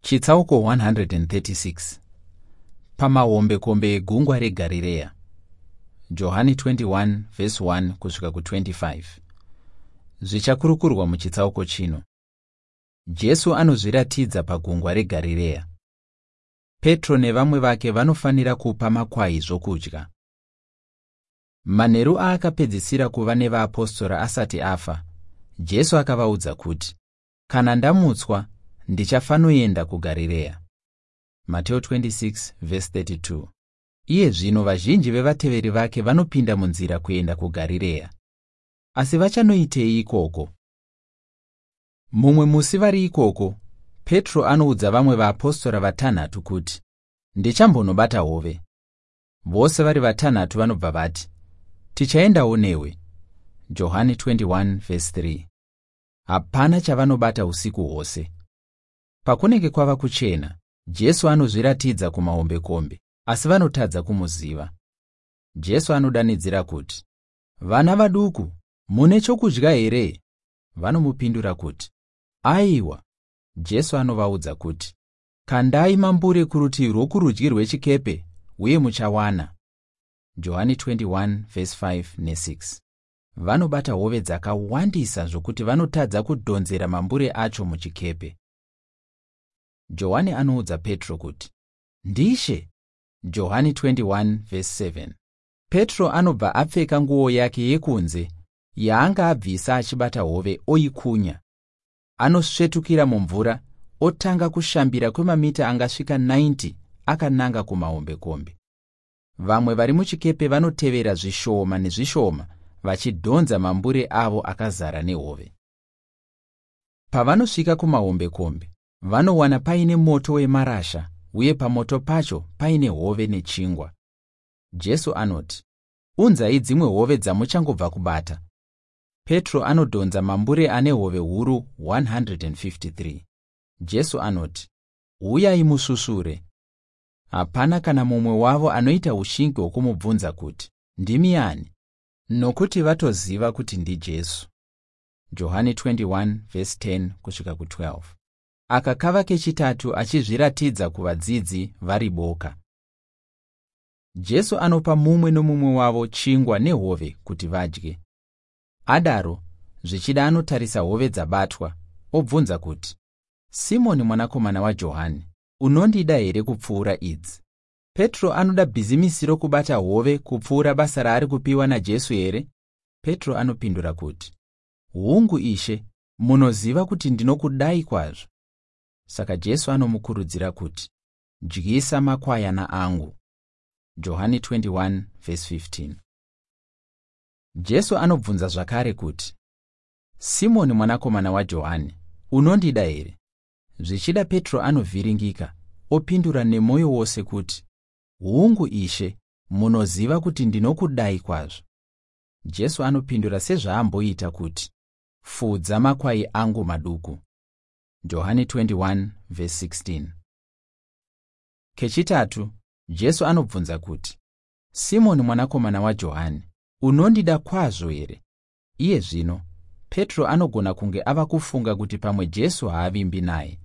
Chitsauko 136. Pamahombekombe egungwa reGarirea. Johani 21 vhesi 1 kusvika ku25. Zvichakurukurwa muchitsauko chino. Jesu anozviratidza pagungwa reGarirea. Petro nevamwe vake vanofanira kupa makwai zvokudya. Manheru aakapedzisira kuva nevaapostora asati afa, Jesu akavaudza kuti, "Kana ndamutswa, ndichafanoenda kuGarirea." Mateo 26:32. Iye zvino vazhinji vevateveri vake vanopinda munzira kuenda kuGarirea. Asi vachanoitei ikoko? Mumwe musi vari ikoko, Petro anoudza vamwe vaapostora vatanhatu kuti, "Ndichambonobata hove." Vose vari vatanhatu vanobva vati, "Tichaendawo newe." Johani 21:3. Hapana chavanobata usiku hwose. Pakunenge kwava kuchena, Jesu anozviratidza kumahombekombe, asi vanotadza kumuziva. Jesu anodanidzira kuti, "Vana vaduku, mune chokudya here?" Vanomupindura kuti, "Aiwa." Jesu anovaudza kuti, "Kandai mambure kurutivi rwokurudyi rwechikepe uye muchawana." Johani 21:5 ne6. Vanobata hove dzakawandisa zvokuti vanotadza kudhonzera mambure acho muchikepe. Johani anoudza Petro kuti, "Ndishe." Johani 21:7. Petro anobva apfeka nguo yake yekunze yaanga abvisa achibata hove oikunya. Anosvetukira mumvura otanga kushambira kwemamita angasvika 90 akananga kumahombekombe. Vamwe vari muchikepe vanotevera zvishoma nezvishoma vachidhonza mambure avo akazara nehove. Pavanosvika kumahombekombe, vanowana paine moto wemarasha uye pamoto pacho paine hove nechingwa. Jesu anoti, "Unzai dzimwe hove dzamuchangobva kubata." Petro anodhonza mambure ane hove huru 153. Jesu anoti, "Uyai musvusvure." Hapana kana mumwe wavo anoita ushingi hwokumubvunza kuti, "Ndimi ani?" Nokuti vatoziva kuti ndiJesu. Johani 21:10 kusvika ku12. Aka kava kechitatu achizviratidza kuvadzidzi vari boka. Jesu anopa mumwe nomumwe wavo chingwa nehove kuti vadye. Adaro, zvichida anotarisa hove dzabatwa, obvunza kuti, "Simoni mwanakomana waJohani, unondida here kupfuura idzi?" Petro anoda bhizimisi rokubata hove kupfuura basa raari kupiwa naJesu here? Petro anopindura kuti, "Hungu Ishe, munoziva kuti ndinokudai kwazvo." Saka Jesu anomukurudzira kuti, "Dyisa makwayana angu." Johani 21:15. Jesu anobvunza zvakare kuti, "Simoni mwanakomana waJohani, unondida here?" Zvichida Petro anovhiringika, opindura nemwoyo wose kuti, "Hungu Ishe, munoziva kuti ndinokudai kwazvo." Jesu anopindura sezvaamboita kuti, "Fudza makwai angu maduku." Johani 21:16. Kechitatu, Jesu anobvunza kuti, "Simoni mwanakomana waJohani, unondida kwazvo here?" Iye zvino, Petro anogona kunge ava kufunga kuti pamwe Jesu haavimbi naye.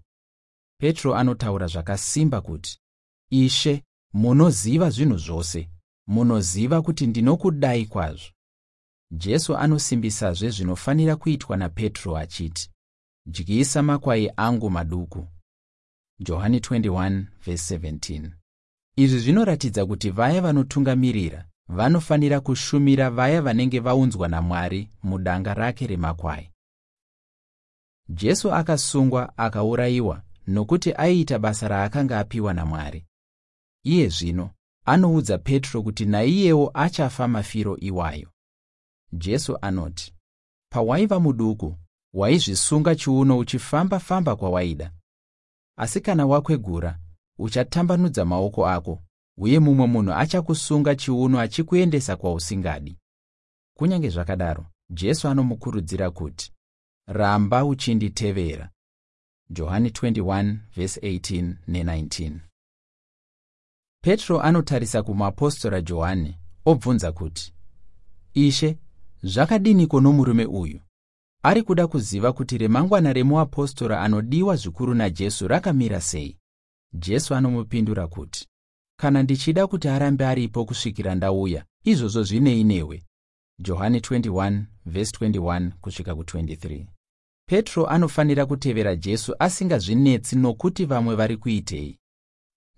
Petro anotaura zvakasimba kuti, "Ishe, munoziva zvinhu zvose, munoziva kuti ndinokudai kwazvo." Jesu anosimbisazve zvinofanira kuitwa naPetro achiti, "Dyisa makwai angu maduku." Johani 21:17. Izvi zvinoratidza kuti vaya vanotungamirira vanofanira kushumira vaya vanenge vaunzwa naMwari mudanga rake remakwai. Jesu akasungwa akaurayiwa nokuti aiita basa raakanga apiwa naMwari. Iye zvino anoudza Petro kuti naiyewo achafa mafiro iwayo. Jesu anoti, "Pawaiva muduku, waizvisunga chiuno uchifamba-famba kwawaida. Asi kana wakwegura, uchatambanudza maoko ako, uye mumwe munhu achakusunga chiuno achikuendesa kwausingadi." Kunyange zvakadaro, Jesu anomukurudzira kuti, "Ramba uchinditevera." Johani 21:18 ne19. Petro anotarisa kumuapostora Johani obvunza kuti, "Ishe, zvakadiniko nomurume uyu?" Ari kuda kuziva kuti remangwana remuapostora anodiwa zvikuru naJesu rakamira sei. Jesu anomupindura kuti, "Kana ndichida kuti arambe aripo kusvikira ndauya, izvozvo zvinei newe?" Johani 21:21 kusvika ku23. Petro anofanira kutevera Jesu asingazvinetsi nokuti vamwe vari kuitei.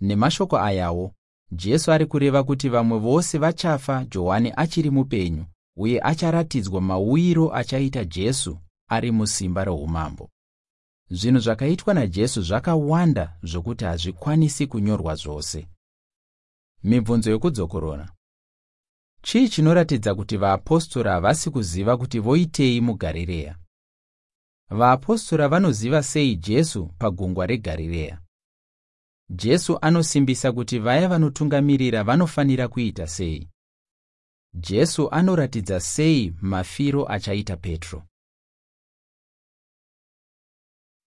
Nemashoko ayawo, Jesu ari kureva kuti vamwe vose vachafa Johani achiri mupenyu uye acharatidzwa mauyiro achaita Jesu ari musimba roumambo. Zvinhu zvakaitwa naJesu zvakawanda zvokuti hazvikwanisi kunyorwa zvose. Mibvunzo yokudzokorora. Chii chinoratidza kuti vaapostora havasi kuziva kuti voitei muGarirea? Vaapostora vanoziva sei Jesu pagungwa reGarirea? Jesu anosimbisa kuti vaya vanotungamirira vanofanira kuita sei? Jesu anoratidza sei mafiro achaita Petro?